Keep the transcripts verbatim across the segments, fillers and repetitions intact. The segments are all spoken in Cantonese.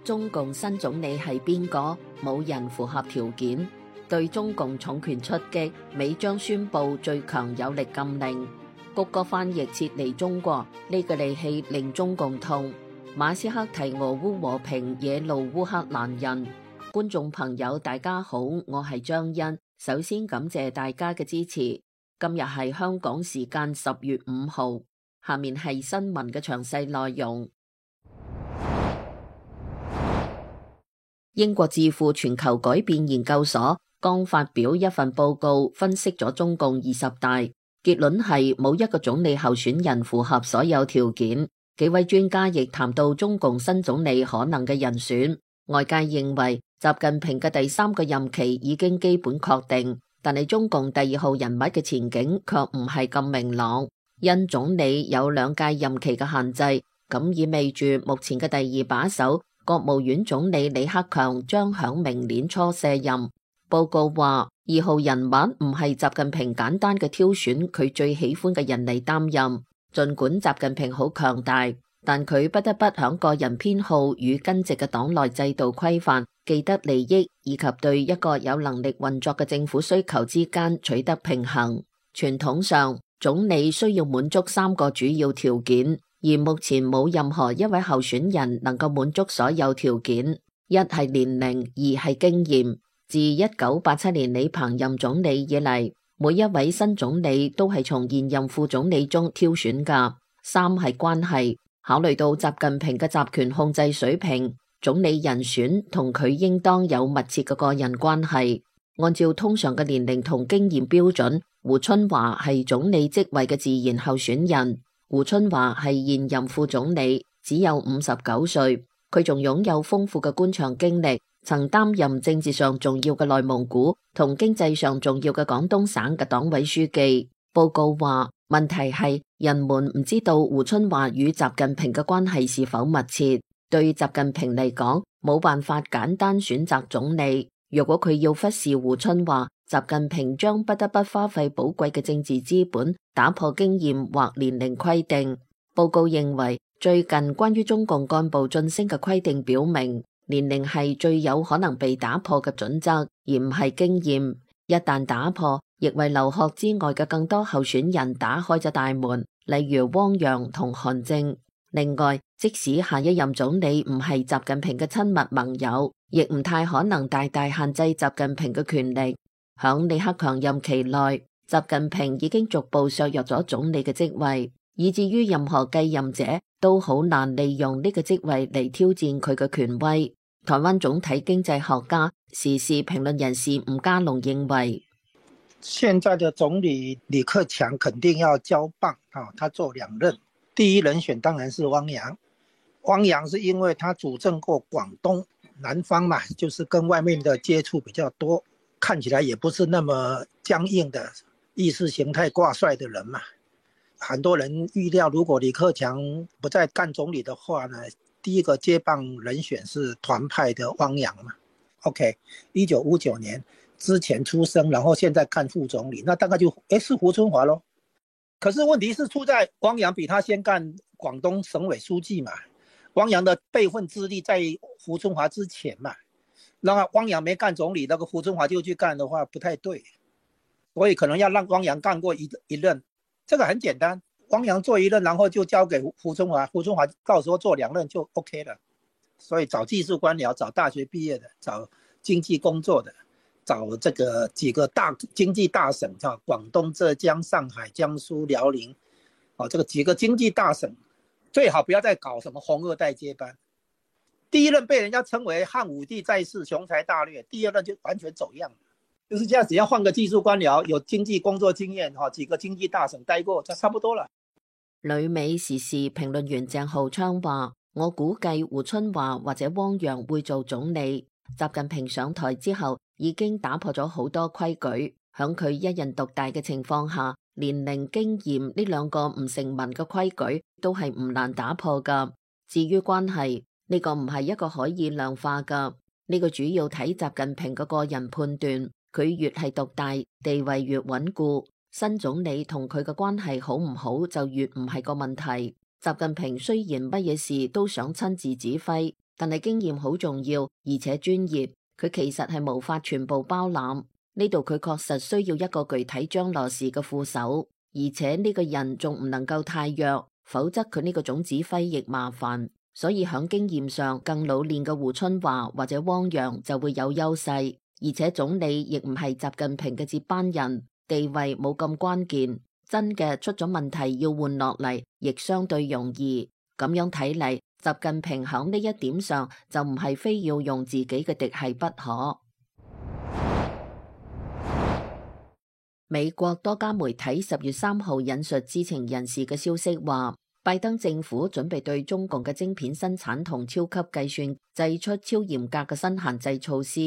中共新總理係邊個？冇人符合條件。對中共重拳出擊，美將宣布最強有力禁令。谷歌翻譯撤離中國，呢個利器令中共痛。馬斯克提俄烏和平，惹怒烏克蘭人。觀眾朋友大家好，我係張欣。首先感謝大家嘅支持。今日係香港時間十月五號，下面係新聞嘅詳細內容。英國智庫全球改變研究所剛發表一份報告，分析咗中共二十大，結論係冇一個總理候選人符合所有條件。幾位專家亦談到中共新總理可能嘅人選。外界認為習近平嘅第三個任期已經基本確定，但係中共第二號人物嘅前景卻唔係咁明朗。因總理有兩屆任期嘅限制，咁意味住目前嘅第二把手國務院總理李克強將響明年初卸任。報告話，二號人物唔係習近平簡單嘅挑選佢最喜歡嘅人嚟擔任。儘管習近平好強大，但佢不得不響個人偏好與根植嘅黨內制度規範、既得利益以及對一個有能力運作嘅政府需求之間取得平衡。傳統上，總理需要滿足三個主要條件。而目前冇任何一位候選人能夠滿足所有條件。一係年齡，二係經驗。自一九八七年李鵬任總理以嚟，每一位新總理都係從現任副總理中挑選㗎。三係關係，考慮到習近平嘅集權控制水平，總理人選同佢應當有密切嘅個人關係。按照通常嘅年齡同經驗標準，胡春華係總理職位嘅自然候選人。胡春華係現任副總理，只有五十九歲，佢仲擁有豐富嘅官場經歷，曾擔任政治上重要嘅內蒙古同經濟上重要嘅廣東省嘅黨委書記。報告話，問題係人們唔知道胡春華與習近平嘅關係是否密切。對習近平嚟講，冇辦法簡單選擇總理。如果佢要忽視胡春華，習近平將不得不花費寶貴嘅政治資本，打破經驗或年齡規定。報告認為，最近關於中共幹部晉升嘅規定表明，年齡係最有可能被打破嘅準則，而唔係經驗。一旦打破，亦為留學之外嘅更多候選人打開咗大門，例如汪洋同韓正。另外，即使下一任總理唔係習近平嘅親密盟友，亦唔太可能大大限制習近平嘅權力。響李克強任期內，習近平已經逐步削弱咗總理嘅職位，以至於任何繼任者都好難利用呢個職位嚟挑戰佢嘅權威。台灣總體經濟學家、時事評論人士吳家龍認為，現在的總理李克強肯定要交棒，他做兩任。第一人選當然是汪洋，汪洋是因為他主政過廣東南方嘛，就是跟外面的接觸比較多，看起來也不是那麼僵硬的意識形態掛帥的人嘛。很多人預料，如果李克強不再幹總理的話呢，第一個接棒人選是團派的汪洋嘛。OK， 一九五九年之前出生，然後現在幹副總理，那大概就誒是胡春華咯。可是問題是出在汪洋比他先幹廣東省委書記嘛，汪洋的輩分資歷在胡春華之前嘛。那汪洋沒幹總理，那個胡春華就去幹的話不太對，所以可能要讓汪洋幹過一一任，這個很簡單，汪洋做一任，然後就交給胡春華，胡春華到時候做兩任就 OK 了。所以找技術官僚，找大學畢業的，找經濟工作的，找這個幾個大經濟大省，叫廣東、浙江、上海、江蘇、遼寧，哦，這個幾個經濟大省，最好不要再搞什麼紅二代接班。第一任被人家稱為漢武帝在世，雄才大略，第二任就完全走樣，就是這樣，只要換個技術官僚，有經濟工作經驗，哈，幾個經濟大省待過，就差不多了。旅美時事評論員鄭浩昌話，我估計胡春華或者汪洋會做總理。習近平上台之後，已經打破咗好多規矩，響佢一人獨大嘅情況下，年齡、經驗呢兩個唔成文嘅規矩都係唔難打破噶。至於關係，呢個唔係一個可以量化噶，呢個主要睇習近平嘅個人判斷，佢越係獨大，地位越穩固，新總理同佢嘅關係好唔好就越唔係個問題。習近平雖然乜嘢事都想親自指揮，但係經驗好重要，而且專業，佢其實係無法全部包攬。呢度佢確實需要一個具體張羅事嘅副手，而且呢個人仲唔能夠太弱，否則佢呢個總指揮亦麻煩。所以響經驗上更老練嘅胡春華或者汪洋就會有優勢，而且總理亦唔係習近平嘅接班人，地位冇咁關鍵。真嘅出咗問題要換落嚟，亦相對容易。咁樣睇嚟，習近平響呢一點上就唔係非要用自己嘅嫡系不可。美國多家媒體十月三號引述知情人士嘅消息話，拜登政府準備對中共嘅晶片生產同超級計算祭出超嚴格嘅新限制措施。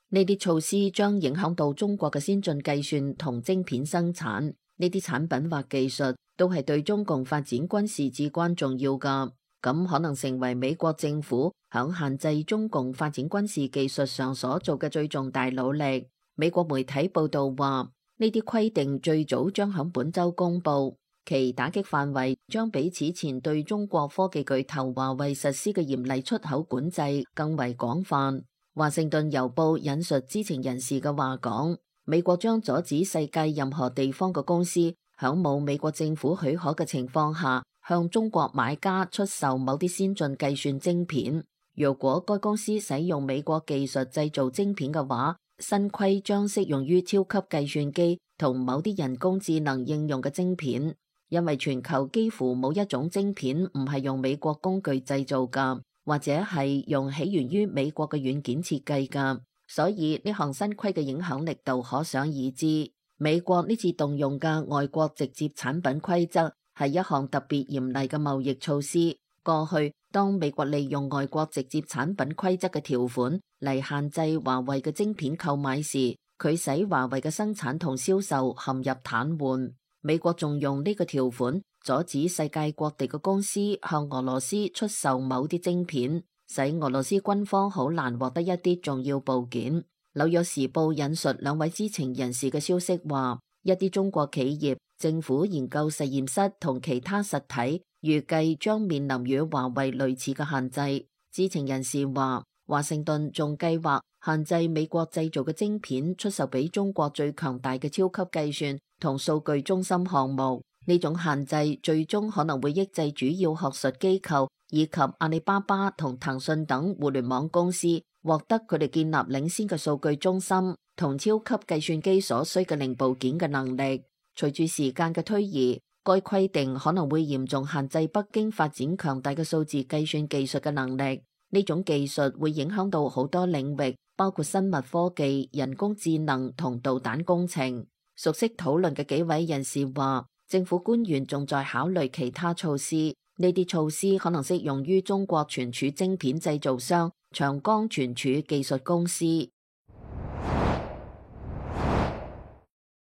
呢啲措施將影響到中國嘅先進計算同晶片生產。呢啲產品或技術都係對中共發展軍事至關重要噶，咁可能成為美國政府響限制中共發展軍事技術上所做嘅最重大努力。美國媒體報道話，呢啲規定最早將響本周公布，其打擊範圍將比此前對中國科技巨頭華為實施嘅嚴厲出口管制更為廣泛。華盛頓郵報引述知情人士嘅話講，美國將阻止世界任何地方嘅公司響冇美國政府許可嘅情況下向中國買家出售某啲先進計算晶片。如果該公司使用美國技術製造晶片嘅話，新規將適用於超級計算機同某啲人工智能應用嘅晶片，因為全球幾乎冇一種晶片唔係用美國工具製造噶，或者係用起源於美國嘅軟件設計噶。所以呢項新規嘅影響力度可想而知。美國呢次動用嘅外國直接產品規則係一項特別嚴厲嘅貿易措施。過去當美國利用外國直接產品規則嘅條款嚟限制華為嘅晶片購買時，佢使華為嘅生產同銷售陷入癱瘓。美國仲用呢個條款阻止世界各地嘅公司向俄羅斯出售某啲晶片，使俄羅斯軍方好難獲得一啲重要部件。紐約時報引述兩位知情人士嘅消息話，一啲中國企業、政府研究實驗室同其他實體預計將面臨與華為類似嘅限制。知情人士話，華盛頓仲計劃限制美國製造嘅晶片出售俾中國最強大嘅超級計算同數據中心項目。呢種限制最終可能會抑制主要學術機構以及阿里巴巴同騰訊等互聯網公司獲得佢哋建立領先嘅數據中心同超級計算機所需嘅零部件嘅能力。隨住時間嘅推移，該規定可能會嚴重限制北京發展強大嘅數字計算技術嘅能力。呢種技術會影響到好多領域，包括生物科技、人工智能同導彈工程。熟悉討論嘅幾位人士話，政府官員仲在考慮其他措施，呢啲措施可能適用於中國存儲晶片製造商長江存儲技術公司。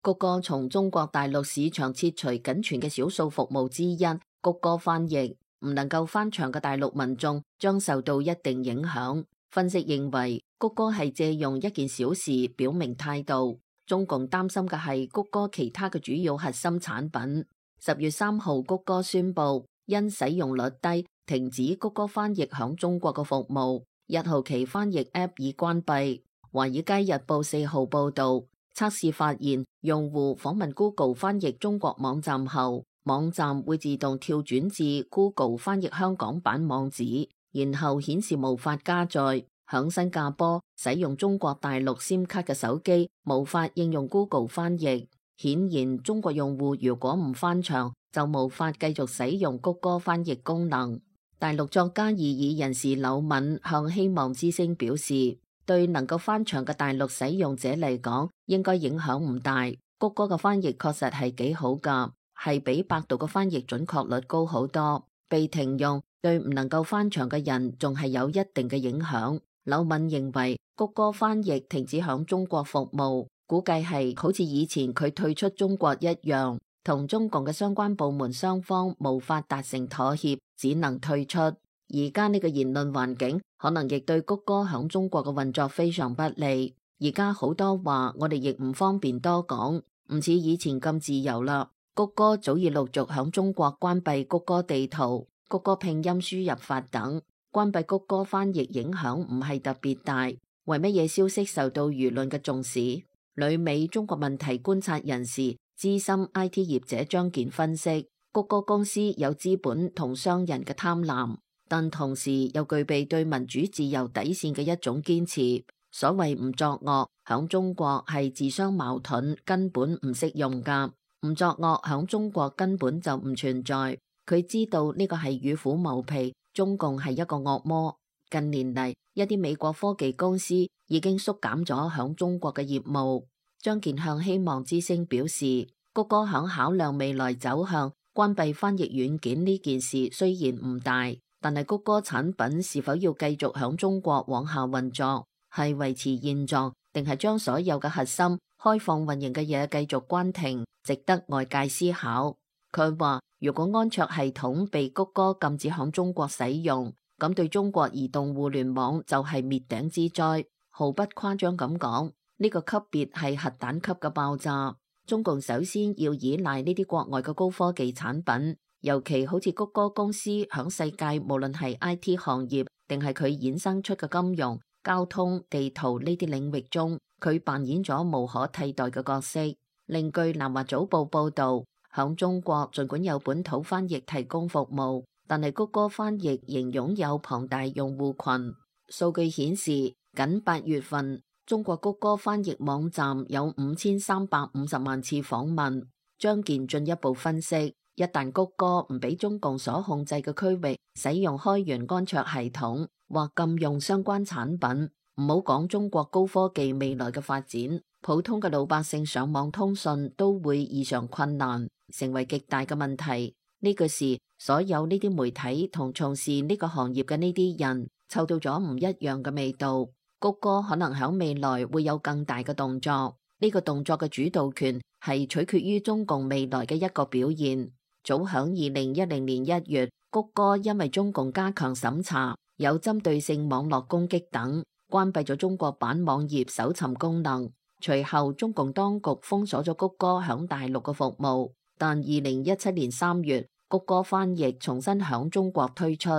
谷歌從中國大陸市場撤除僅存嘅少數服務之一，谷歌翻譯唔能夠翻牆嘅大陸民眾將受到一定影響。分析認為，谷歌係借用一件小事表明態度。中共擔心嘅係谷歌其他嘅主要核心產品。十月三號，谷歌宣布因使用率低，停止谷歌翻譯響中國嘅服務。一號期翻譯 App 已關閉。華爾街日報四號報道，測試發現，用戶訪問 Google 翻譯中國網站後，網站會自動跳轉至 Google 翻譯香港版網址，然後顯示無法加載。響新加坡使用中國大陸 SIM 卡嘅手機無法應用 Google 翻譯。顯然，中國用戶如果唔翻牆，就無法繼續使用谷歌翻譯功能。大陸作家異議人士柳敏向希望之聲表示，對能夠翻牆嘅大陸使用者嚟講，應該影響唔大。谷歌嘅翻譯確實係幾好㗎，係比百度嘅翻譯準確率高好多。被停用對唔能夠翻牆嘅人仲係有一定嘅影響。柳敏認為，谷歌翻譯停止響中國服務，估計係好似以前佢退出中國一樣，同中共嘅相關部門雙方無法達成妥協，只能退出。而家呢個言論環境可能亦對谷歌響中國嘅運作非常不利。而家好多話我哋亦唔方便多講，唔似以前咁自由啦。谷歌早已陸續響中國關閉谷歌地圖、谷歌拼音輸入法等。關閉谷歌翻譯影響唔係特別大。為乜嘢消息受到輿論嘅重視？旅美中國問題觀察人士、資深 I T 業者張健分析，谷歌公司有資本同商人嘅貪婪，但同時又具備對民主自由底線嘅一種堅持。所謂唔作惡，響中國係自相矛盾，根本唔適用噶。唔作惡響中國根本就唔存在。佢知道呢個係與虎謀皮，中共係一個惡魔。近年嚟，一啲美國科技公司已經縮減咗響中國嘅業務。張健向希望之聲表示，谷歌響考量未來走向，關閉翻譯軟件呢件事雖然唔大，但係谷歌產品是否要繼續響中國往下運作，係維持現狀，定係將所有嘅核心開放運營嘅嘢繼續關停，值得外界思考。佢話，如果安卓系統被谷歌禁止響中國使用，咁對中國移動互聯網就係滅頂之災，毫不誇張咁講，呢個級別係核彈級嘅爆炸。中共首先要依賴呢啲國外嘅高科技產品，尤其好似谷歌公司響世界無論係 I T 行業定係佢衍生出嘅金融、交通、地圖呢啲領域中，佢扮演咗無可替代嘅角色。另據南華早報報道，響中國儘管有本土翻譯提供服務，但係谷歌翻譯仍擁有龐大用戶群。數據顯示，僅八月份，中國谷歌翻譯網站有五千三百五十萬次訪問。張健進一步分析，一旦谷歌唔俾中共所控制嘅區域使用開源安卓系統，或禁用相關產品，唔好講中國高科技未來嘅發展，普通嘅老百姓上網通訊都會異常困難，成為極大嘅問題。呢個時，所有呢啲媒體同從事呢個行業嘅呢啲人，嗅到咗唔一樣嘅味道。谷歌可能響未來會有更大嘅動作，呢個動作嘅主導權係取決於中共未來嘅一個表現。早響二零一零年一月，谷歌因為中共加強審查，有針對性網絡攻擊等，關閉咗中國版網頁搜尋功能。隨後，中共當局封鎖咗谷歌響大陸嘅服務，但二零一七年三月，谷歌翻譯重新響中國推出。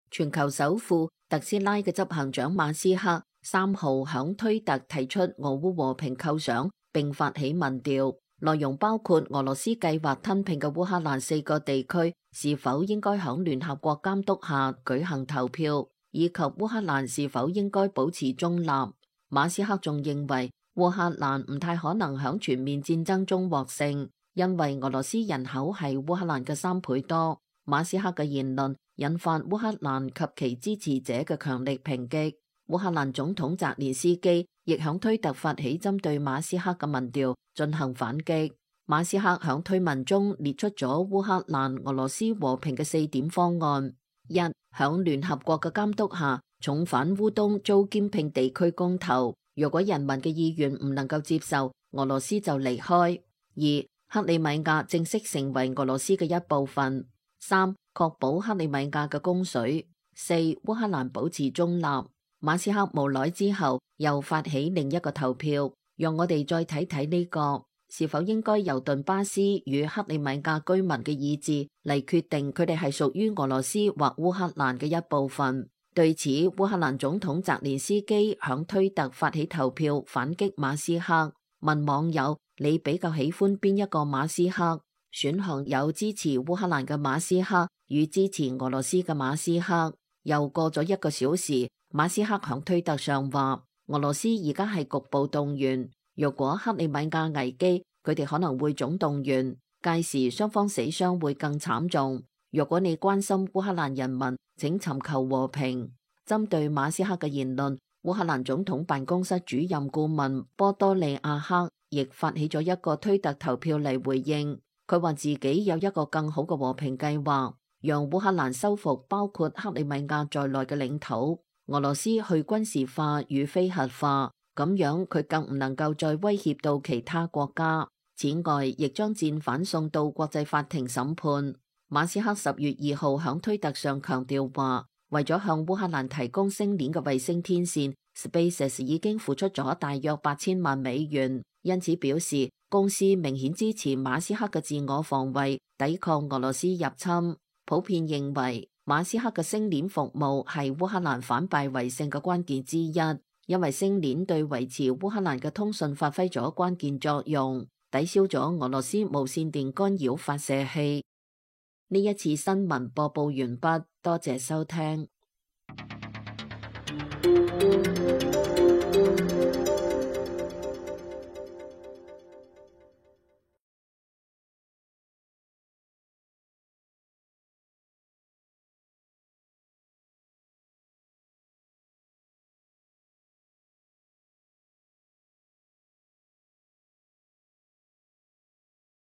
全球首富特斯拉嘅執行長馬斯克三號響推特提出俄烏和平構想，並發起民調，內容包括俄羅斯計劃吞併嘅烏克蘭四個地區是否應該響聯合國監督下舉行投票，以及烏克蘭是否應該保持中立。馬斯克仲認為烏克蘭唔太可能響全面戰爭中獲勝，因為俄羅斯人口係烏克蘭嘅三倍多。馬斯克嘅言論引發烏克蘭及其支持者嘅強力抨擊。烏克蘭總統澤連斯基亦響推特發起針對馬斯克嘅民調進行反擊。馬斯克響推文中列出咗烏克蘭俄羅斯和平嘅四點方案：一、響聯合國嘅監督下重返烏東遭兼併地區公投，若果人民嘅意願唔能夠接受，俄羅斯就離開；二、克里米亞正式成為俄羅斯嘅一部分；三、確保克里米亞嘅供水；四、烏克蘭保持中立。馬斯克無奈之後又發起另一個投票，讓我哋再睇睇呢個是否應該由頓巴斯與克里米亞居民嘅意志嚟決定佢哋係屬於俄羅斯或烏克蘭嘅一部分。對此，烏克蘭總統澤連斯基響推特發起投票反擊馬斯克，問網友：你比較喜歡邊一個馬斯克？選項有支持烏克蘭嘅馬斯克與支持俄羅斯嘅馬斯克。又過咗一個小時，馬斯克響推特上話：俄羅斯而家係局部動員，若果克里米亞危機，佢哋可能會總動員，屆時雙方死傷會更慘重。若果你關心烏克蘭人民，請尋求和平。針對馬斯克嘅言論，烏克蘭總統辦公室主任顧問波多利亞克亦發起咗一個推特投票嚟回應。佢話自己有一個更好嘅和平計劃，讓烏克蘭收復包括克里米亞在內嘅領土，俄羅斯去軍事化與非核化，咁樣佢更唔能夠再威脅到其他國家。此外，亦將戰犯送到國際法庭審判。馬斯克十月二號響推特上強調話，為咗向烏克蘭提供星鏈嘅衛星天線 ，SpaceX 已經付出咗大約八千萬美元，因此表示公司明顯支持馬斯克嘅自我防衛，抵抗俄羅斯入侵。普遍認為馬斯克嘅星鏈服務係烏克蘭反敗為勝嘅關鍵之一，因為星鏈對維持烏克蘭嘅通訊發揮咗關鍵作用，抵消咗俄羅斯無線電干擾發射器。呢一次新聞播報完畢，多謝收聽。